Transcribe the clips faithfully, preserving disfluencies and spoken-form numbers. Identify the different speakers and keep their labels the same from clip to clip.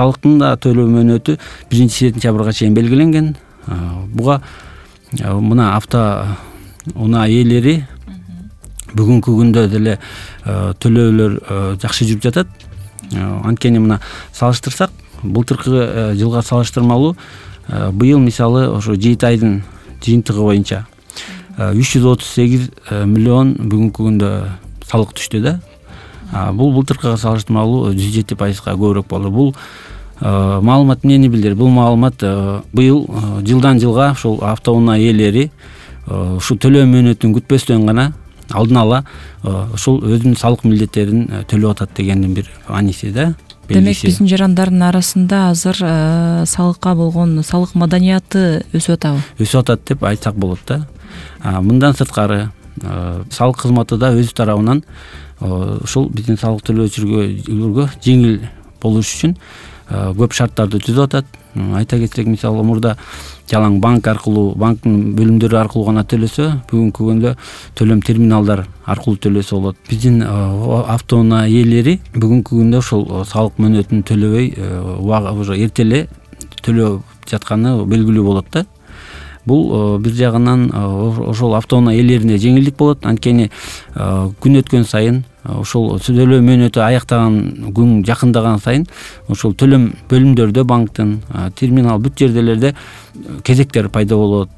Speaker 1: салыктын да төлөө мөөнөтү биринчи сентябрга чейин белгиленген. Буга мына автоунаа ээлери бүгүнкү күндө деле төлөөлөр жакшы жүрүп жатат. Анткени мына салыштырсак, былтыркы жылга салыштырмалуу быйыл мисалы ошо жети айдын жыйынтыгы боюнча үч жүз отуз сегиз миллион бүгүнкү күндө салык түштү да. Бул былтыркыга салыштырмалуу жүз жети пайызга көбүрөөк болду. Бул маалымат эмнени билдирет? Бул маалымат быйыл жылдан жылга ушул автоунаа ээлери ушул төлөө мөөнөтүн күтпөстөн гана алдын ала ушул өзүнүн салык милдеттерин төлөп атат дегендин бир аниси да.
Speaker 2: Демек биздин жарандардын арасында азыр салыкка болгон салык маданияты өсүп атабы? Өсүп
Speaker 1: атат деп айтсак болот да. Мындан сырткары салык кызматы да өз тарабынан ушул биздин салык төлөөчүлөргө жеңил болуш үчүн көп шарттарды түзүп атат. Айта кетсек, мисалы мурда жалаң банк аркылуу, банктын бөлүмдөрү аркылуу гана төлөсө, бүгүнкү күндө төлөм терминалдар аркылуу төлөсө болот. Биздин автоунаа ээлери бүгүнкү күндө ушул салык мөөнөтүн төлөбөй уже эрте эле төлөп жатканы белгилүү болот да. Бул бир жагынан ошол автоунаа ээлерине жеңилдик болот. Анткени күн өткөн сайын ошол төлөө мөөнөтү аяктаган күн жакындаган сайын ошол төлөм бөлүмдөрдө, банктын, терминал бүт жерделерде кезектер пайда болот.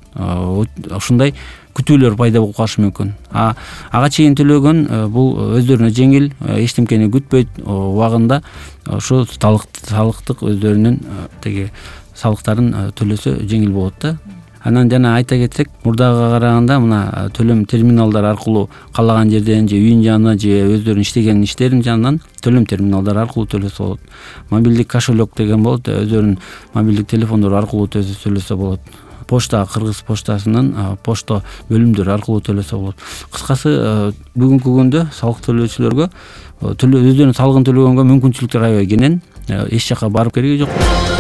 Speaker 1: Ошондой күтүүлөр пайда болуп калышы мүмкүн. А ага чейин төлөгөн бул өздөрүнө жеңил, эчтемкени күтпөйт убагында ошо салыктык өздөрүнүн теги салыктарын төлөсө жеңил болот да. Анан жана айта кетсек, мурдага караганда мына төлөм терминалдар аркылуу каалаган жерден же үйүн жанынан же өздөрүнүн иштеген иштерин жанынан төлөм терминалдар аркылуу төлөсө болот. Мобилдик кошелек деген болот, өздөрүнүн мобилдик телефондору аркылуу төлөсө болот. Почта, Кыргыз почтасынын почта бөлүмдөрү аркылуу төлөсө болот. Кыскасы, бүгүнкү күндө салык төлөөчүлөргө өздөрүнүн салыгын төлөгөнгө мүмкүнчүлүктөр аябай кенен, эч жака барып кереги жок.